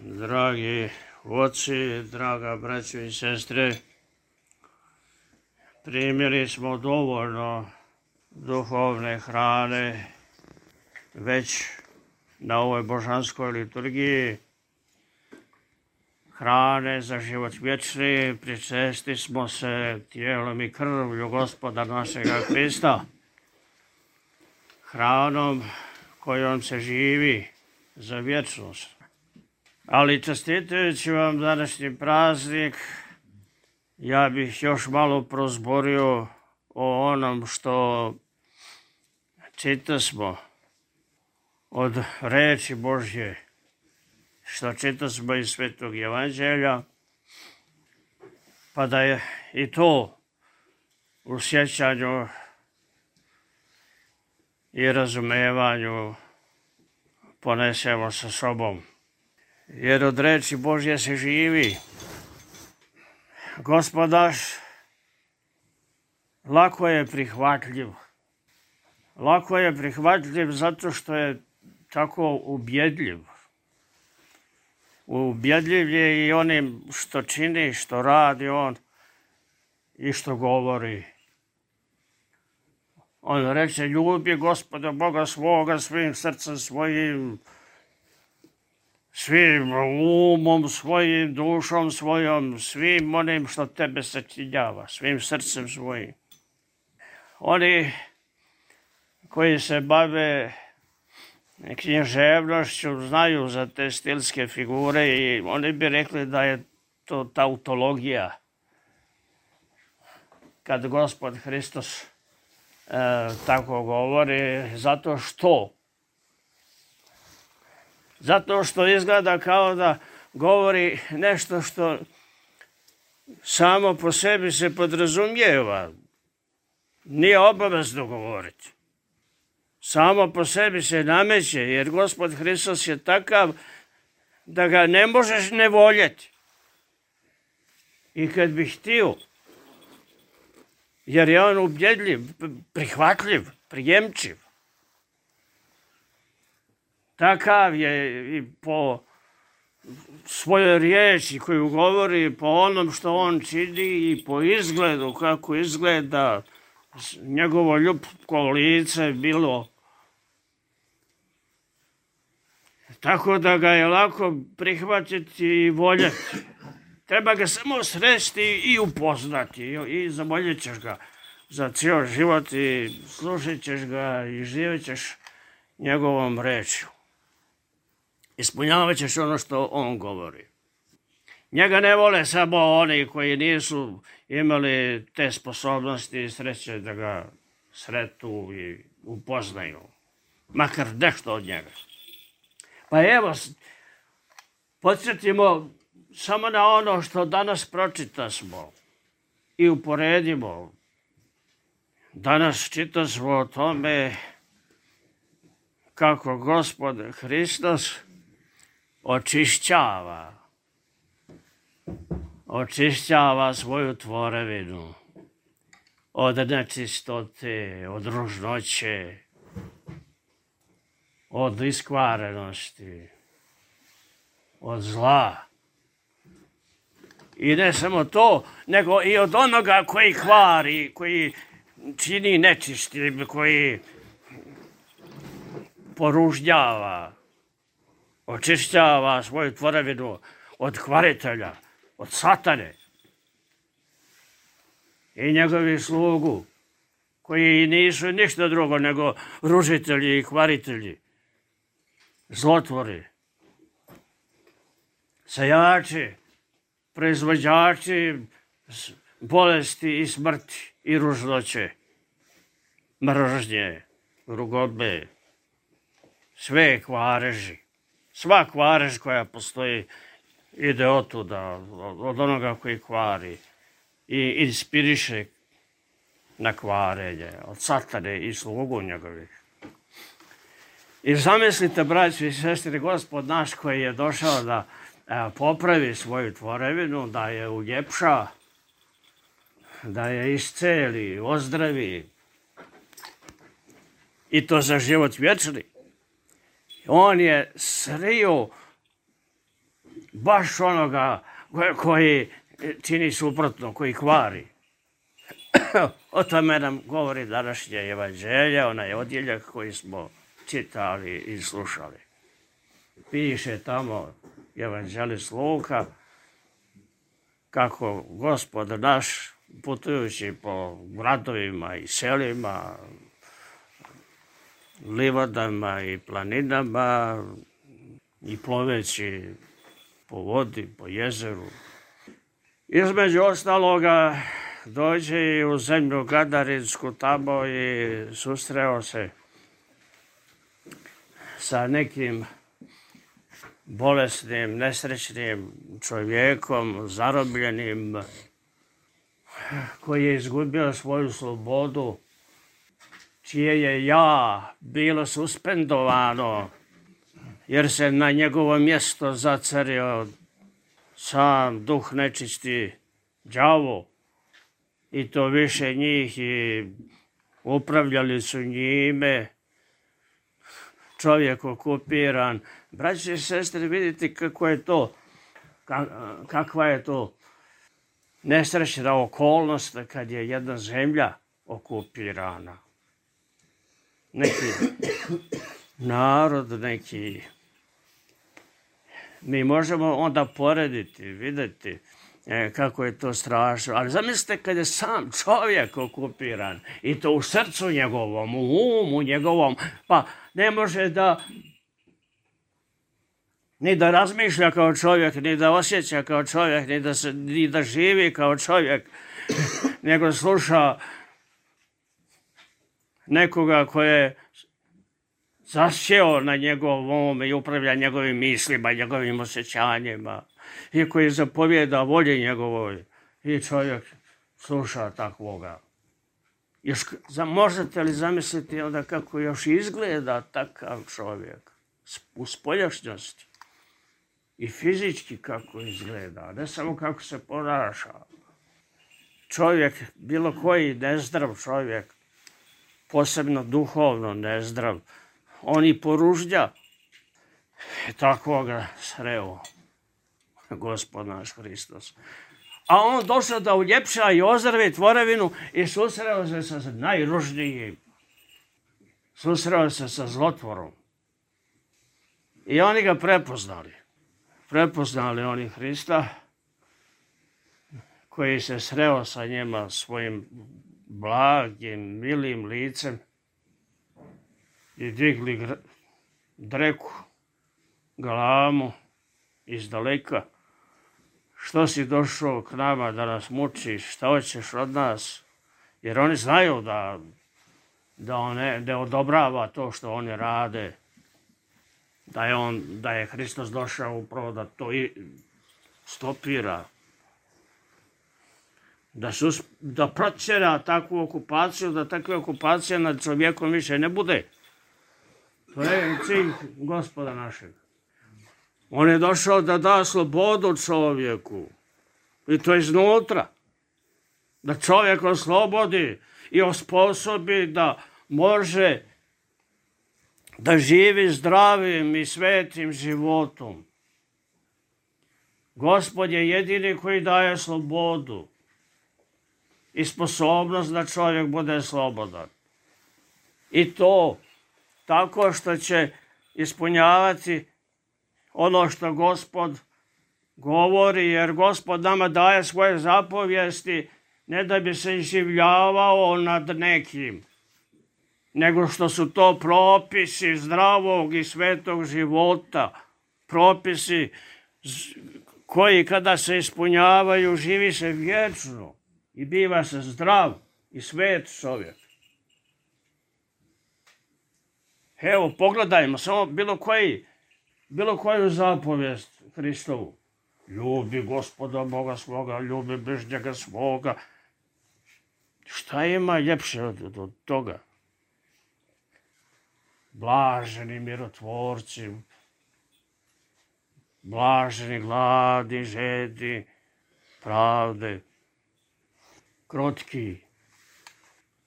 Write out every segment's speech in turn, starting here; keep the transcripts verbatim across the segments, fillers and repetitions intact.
Dragi oci, draga braćo i sestre, primili smo dovoljno duhovne hrane već na ovoj božanskoj liturgiji, hrane za život vječni, pričesti smo se tijelom i krvlju Gospoda našega Hrista, hranom kojom se živi za vječnost. Ali čestitajući vam današnji praznik, ja bih još malo prozborio o onom što čitasmo od reči Božje, što čitasmo iz Svetog Evanđelja, pa da je i to u sjećanju i razumevanju ponesemo sa sobom. Jer od reči Božje se živi. Gospod naš lako je prihvatljiv. Lako je prihvatljiv zato što je tako ubjedljiv. Ubjedljiv je i onim što čini, što radi on i što govori. On reče, ljubi Gospoda Boga svoga svim srcem svojim, svim umom svojim, dušom svojom, svim onim što tebe sačinjava, svim srcem svojim. Oni koji se bave književnošću znaju za te stilske figure i oni bi rekli da je to tautologija. Kad Gospod Hristos e, tako govori, zato što Zato što izgleda kao da govori nešto što samo po sebi se podrazumijeva. Nije obavezno govoriti. Samo po sebi se nameće, jer Gospod Hristos je takav da ga ne možeš ne voljeti. I kad bi htio, jer je on ubjedljiv, prihvatljiv, prijemčiv. Takav je i po svojoj riječi koju govori, po onom što on čini i po izgledu, kako izgleda njegovo ljubko lice bilo. Tako da ga je lako prihvatiti i voljeti. Treba ga samo sresti i upoznati i zavoljet ćeš ga za cijel život i slušat ćeš ga i živjet ćeš njegovom rečju. Ispunjavat ćeš ono što on govori. Njega ne vole samo oni koji nisu imali te sposobnosti i sreće da ga sretu i upoznaju. Makar nešto od njega. Pa evo, podsjetimo samo na ono što danas pročitasmo i uporedimo. Danas čitasmo o tome kako Gospod Hristos očišćava, očišćava svoju tvorevinu od nečistote, od ružnoće, od iskvarenosti, od zla. I ne samo to, nego i od onoga koji kvari, koji čini nečistim, koji poružnjava, očišćava svoju tvorevinu od kvaritelja, od satane i njegovi slugu, koji nisu ništa drugo nego ružitelji i kvaritelji, zlotvori, sejači, proizvođači bolesti i smrti i ružnoće, mržnje, rugobe, sve kvareži. Sva kvarež koja postoji ide otuda, od onoga koji kvari i inspiriše na kvarenje, od satane i slugu njegovih. I zamislite, braći i sestri, Gospod naš koji je došao da popravi svoju tvorevinu, da je uljepša, da je isceli, ozdravi, i to za život vječni. On je srio baš onoga koji čini suprotno, koji kvari. O tome nam govori današnje evanđelje, onaj odjeljak koji smo čitali i slušali. Piše tamo evanđelist Luka kako Gospod naš, putujući po gradovima i selima, livadama i planinama i ploveći po vodi, po jezeru, između ostaloga dođe i u zemlju Gadarinsku tamo i susreo se sa nekim bolesnim, nesrećnim čovjekom, zarobljenim, koji je izgubio svoju slobodu, čije je ja bilo suspendovano, jer se na njegovo mjesto zacario sam duh nečisti, đavo, i to više njih, i upravljali su njime, čovjek okupiran. Braći i sestre, vidite kako je to, kakva je to nesrećna okolnost kad je jedna zemlja okupirana. Neki narod, neki... Mi možemo onda porediti, vidjeti kako je to strašno. Ali zamislite kad je sam čovjek okupiran i to u srcu njegovom, u umu njegovom, pa ne može da ni da razmišlja kao čovjek, ni da osjeća kao čovjek, ni da, se, ni da živi kao čovjek, nego sluša nekoga koje je zasjeo na njegovom um i upravlja njegovim mislima, njegovim osjećanjima, i koji zapovjeda volji njegovoj, i čovjek sluša takvoga. Još, možete li zamisliti onda kako još izgleda takav čovjek u spoljašnjosti i fizički kako izgleda, ne samo kako se ponaša. Čovjek, bilo koji nezdrav čovjek, posebno duhovno nezdrav, on i poružlja. Takvoga sreo Gospod naš Hristos. A on došao da uljepša i ozdravi tvorevinu i susreo se sa najružnijim. Susreo se sa zlotvorom. I oni ga prepoznali. Prepoznali oni Hrista, koji se sreo sa njima svojim blagim, milim licem i digli dreku, galamu iz daleka. Što si došao k nama da nas mučiš, šta hoćeš od nas? Jer oni znaju da, da on ne, ne odobrava to što oni rade, da je, on, da je Hristos došao upravo da to i stopira, da, sus, da protjera takvu okupaciju, da takve okupacije nad čovjekom više ne bude. To je cilj Gospoda našeg. On je došao da da slobodu čovjeku. I to iznutra. Da čovjek oslobodi i osposobi da može da živi zdravim i svetim životom. Gospod je jedini koji daje slobodu i sposobnost da čovjek bude slobodan. I to tako što će ispunjavati ono što Gospod govori, jer Gospod nama daje svoje zapovijesti ne da bi se iživljavao nad nekim, nego što su to propisi zdravog i svetog života, propisi koji kada se ispunjavaju živi se vječno i biva se zdrav i svet čovjek. Evo, pogledajmo samo bilo koji, bilo koju zapovijest Hristovu. Ljubi Gospoda Boga svoga, ljubi bližnjega svoga. Šta ima ljepše od, od toga? Blaženi mirotvorci, blaženi gladni, žedni, pravde, krotki.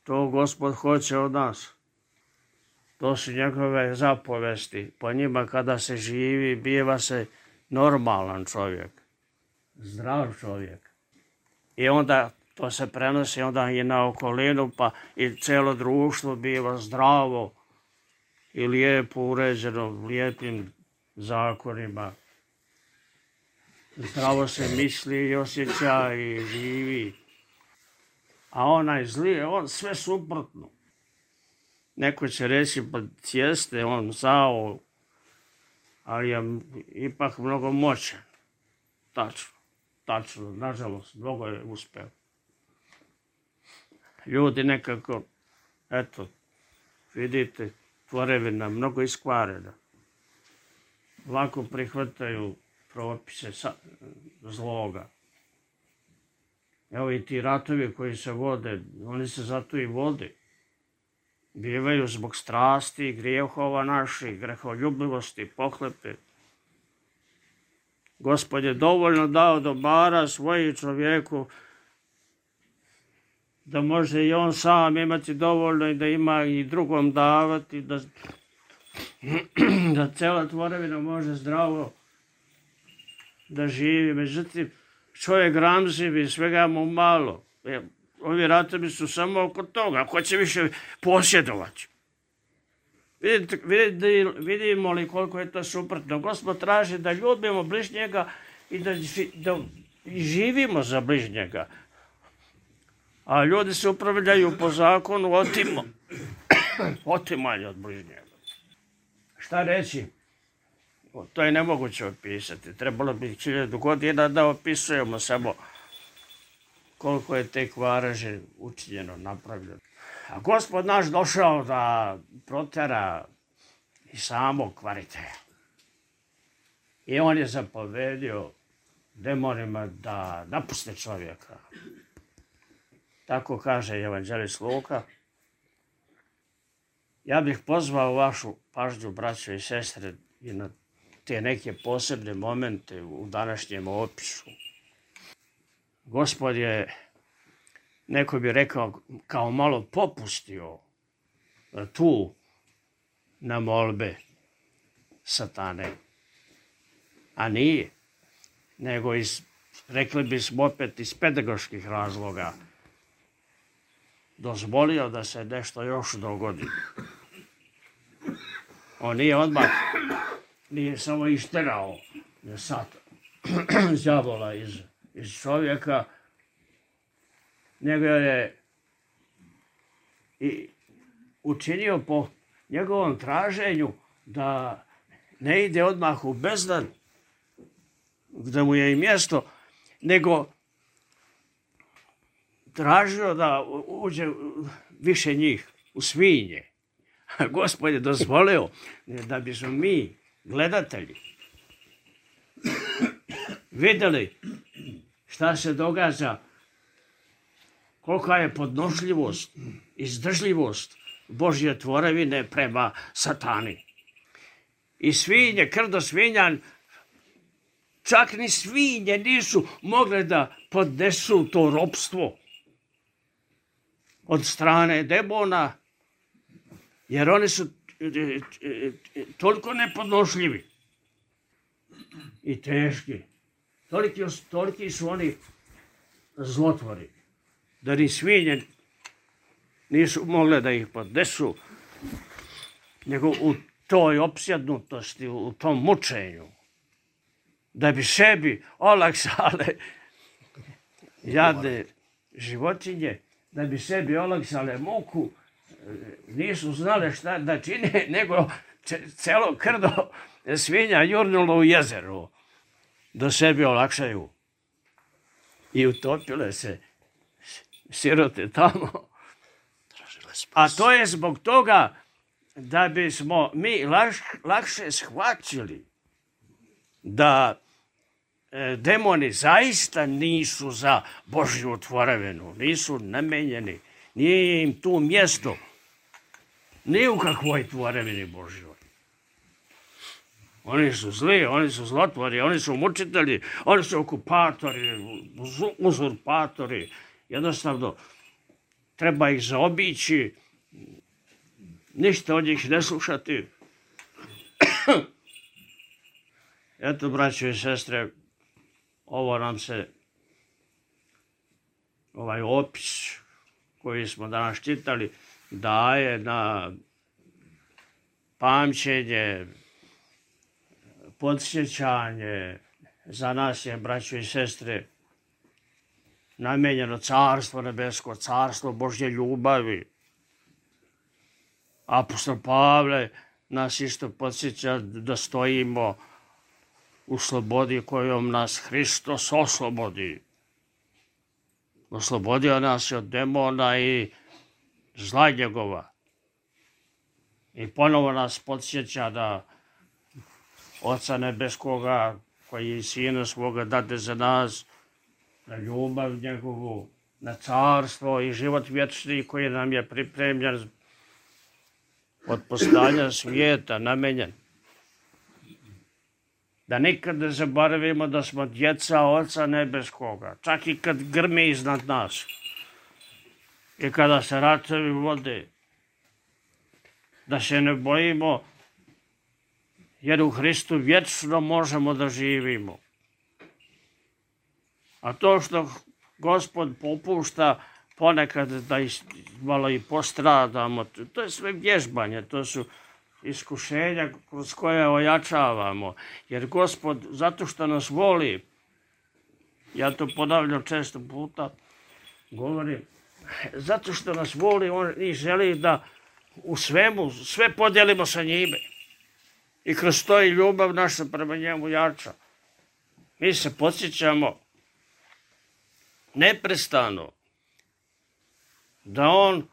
To Gospod hoće od nas. To su njegove zapovesti. Po njima kada se živi, biva se normalan čovjek, zdrav čovjek. I onda to se prenosi onda i na okolinu, pa i cijelo društvo biva zdravo i lijepo uređeno, lijepim zakonima. Zdravo se misli i osjeća i živi. A onaj zli, on sve suprotno. Neko će reći, pa jeste on zao, ali je ipak mnogo moćan. Tačno, tačno, nažalost, mnogo je uspeo. Ljudi nekako, eto, vidite, tvorevina mnogo iskvarena. Lako prihvataju propise zloga. Evo i ti ratovi koji se vode, oni se zato i vode. Bivaju zbog strasti, grijehova naših, greholjubivosti, pohlepe. Gospod je dovoljno dao dobara svoji čovjeku da može i on sam imati dovoljno i da ima i drugom davati, da, da cela tvorevina može zdravo da živi. Međutim, čovjek gramzivi, svega mu malo. Ovi ratovi su samo oko toga, ko će više posjedovati. Vidite, vidimo li koliko je to suprotno. Gospod traži da ljubimo bližnjega i da, da živimo za bližnjega. A ljudi se upravljaju po zakonu otimo, otimanje od bližnjega. Šta reći? To je nemoguće opisati. Trebalo bi hiljadu godina da opisujemo samo koliko je te kvareže učinjeno, napravljeno. A Gospod naš došao da protera i samog kvaritelja. I on je zapovedio demonima da napuste čovjeka. Tako kaže evanđelist Luka. Ja bih pozvao vašu pažnju, braćo i sestre, i na te neke posebne momente u današnjem opisu. Gospod je, neko bi rekao, kao malo popustio tu na molbe satane. A nije, nego iz, rekli bismo opet, iz pedagoških razloga dozvolio da se nešto još dogodi. On nije odmah, nije samo išterao sad đavola iz, iz čovjeka, nego je i učinio po njegovom traženju da ne ide odmah u bezdan, gdje mu je i mjesto, nego tražio da uđe više njih, u svinje. Gospod je dozvolio da bismo mi, gledatelji, vidjeli šta se događa, kolika je podnošljivost, izdržljivost Božje tvorevine prema satani. I svinje, krdo svinja, čak ni svinje nisu mogle da podnesu to ropstvo od strane demona, jer oni su toliko nepodnošljivi i teški. Toliki, toliki su oni zlotvori, da ni svinje nisu mogle da ih podnesu, nego u toj opsjednutosti, u tom mučenju, da bi sebi olakšale jadne životinje, da bi sebi olakšale muku, nisu znale šta da čine, nego celo krdo svinja jurnulo u jezeru, da sebi olakšaju. I utopile se sirote tamo. A to je zbog toga da bismo mi lakše shvaćili da demoni zaista nisu za Božju tvorevinu, nisu namenjeni, nije im tu mjesto, ni u kakvoj tvorevini Božjoj. Oni su zli, oni su zlotvori, oni su mučitelji, oni su okupatori, uzurpatori. Jednostavno, treba ih zaobići, ništa od njih ne slušati. Eto, braćo i sestre, ovo nam se, ovaj opis koji smo danas čitali, daje na pamćenje, podsjećanje. Za nas je, braćo i sestre, namijenjeno carstvo nebesko, carstvo Božje ljubavi. Apostol Pavle nas isto podsjeća da stojimo u slobodi kojom nas Hristos oslobodi. Oslobodio nas je od demona i zla njegova. I ponovo nas podsjeća da Oca nebeskoga, koji je Sina svoga dade za nas, na ljubav njegovu, na carstvo i život vječni koji nam je pripremljen od postojanja svijeta, namenjen. Da nikad ne zaboravimo da smo djeca Oca nebeskoga, čak i kad grmi iznad nas i kada se ratovi vode, da se ne bojimo, jer u Hristu vječno možemo da živimo. A to što Gospod popušta ponekad da malo i postradamo, to je sve vježbanje, to su iskušenja kroz koje ojačavamo. Jer Gospod, zato što nas voli, ja to ponavljam često puta, govorim, zato što nas voli, on i želi da u svemu, sve podijelimo sa njime. I kroz to i ljubav naša prema njemu jača. Mi se podsjećamo neprestano da on,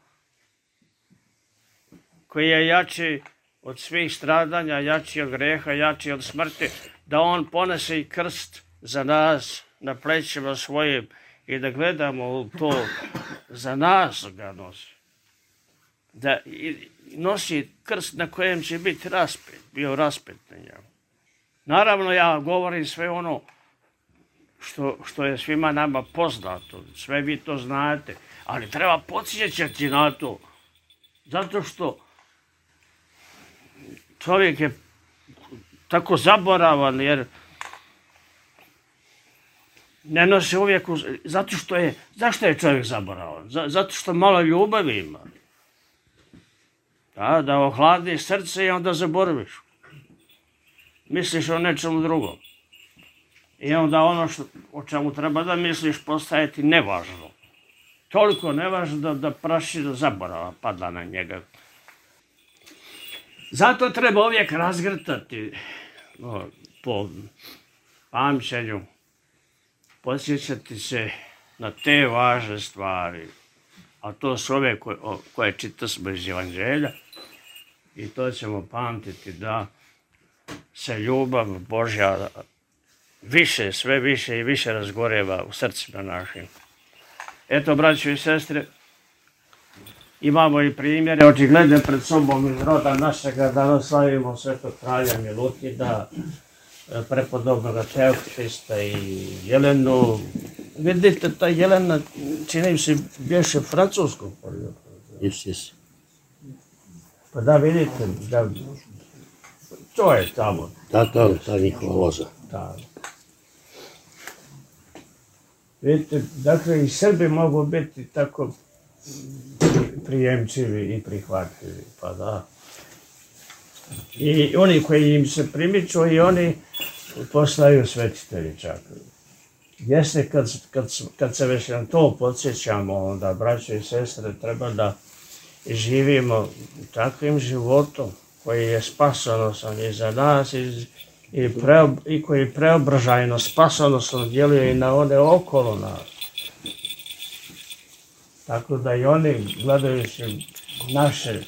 koji je jači od svih stradanja, jači od greha, jači od smrti, da on ponese i krst za nas na plećima svojim i da gledamo u to, za nas ga nosi. Da nosi krst na kojem će biti raspet, bio raspet na njemu. Naravno, ja govorim sve ono što, što je svima nama poznato, sve vi to znate, ali treba podsjećati na to, zato što čovjek je tako zaboravan, jer ne nosi uvijek, uz... zato što je, zašto je čovjek zaboravan? Zato što malo ljubavi ima. Da, da ohladi srce i onda zaboraviš. Misliš o nečemu drugom. I onda ono što, o čemu treba da misliš postaje ti nevažno. Toliko nevažno da, da praši do zaborava pada na njega. Zato treba uvijek razgrtati no, po pamćenju, podsjećati se na te važne stvari. A to su ove koje, koje čitasmo iz Evanđelja. I to ćemo pamtiti da se ljubav Božja više, sve više i više razgoreva u srcima našim. Eto, braćo i sestre, imamo i primjere očigledne pred sobom iz roda našega, da slavimo svetog kralja Milutida, prepodobnoga Teofista i Jelenu. Vidite, ta Jelena, čini mi se, bješe francuskog porijekla. Jes, jes. Pa da, vidite, da, to je tamo. Da, da, ta njihova loza. Da. Vidite, dakle, i Srbi mogu biti tako prijemčivi i prihvatljivi, pa da. I oni koji im se primiču i oni postaju svetitelji čak. Jeste, kad, kad, kad se već na to podsjećamo, onda, braćo i sestre, treba da živimo takvim životom koji je spasonosan i za nas i, i, pre, i koji preobražajno, spasonosno djeluje i na one okolo nas. Tako da i oni, gledajući naše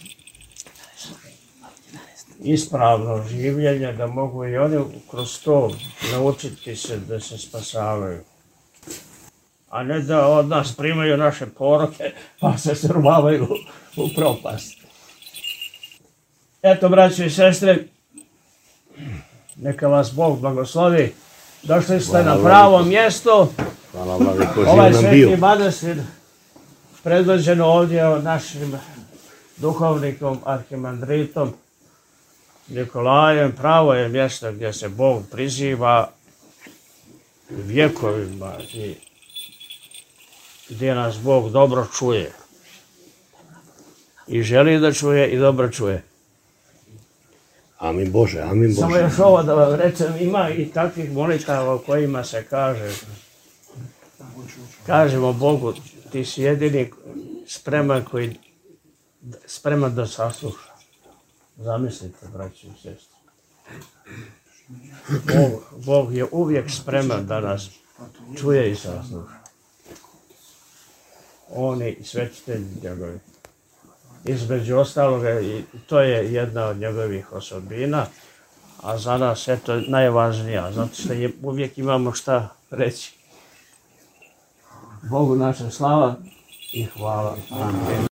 ispravno življenje, da mogu i oni kroz to naučiti se da se spasavaju. A ne da od nas primaju naše poroke pa se survavaju u propast. Eto, braćo i sestre, neka vas Bog blagoslovi. Došli ste na pravo mjesto. Hvala vam, ko ovaj živ nam bio. sveti manastir predvođeno ovdje našim duhovnikom, arhimandritom Nikolajem pravo je mjesto gdje se Bog priziva vjekovima i gdje nas Bog dobro čuje. I želi da čuje i dobro čuje. Amin Bože, amin Bože. Samo još ovo da vam rečem, ima i takvih molitava u kojima se kaže, kažemo Bogu, ti si jedini spreman koji, spreman da sasluša. Zamislite, braći i sestri. Bog, Bog je uvijek spreman da nas čuje i sasluša. Oni svetitelji njegovi. Između ostaloga, i to je jedna od njegovih osobina, a za nas je to najvažnija, zato što je, uvijek imamo šta reći. Bogu naša slava i hvala. Amen.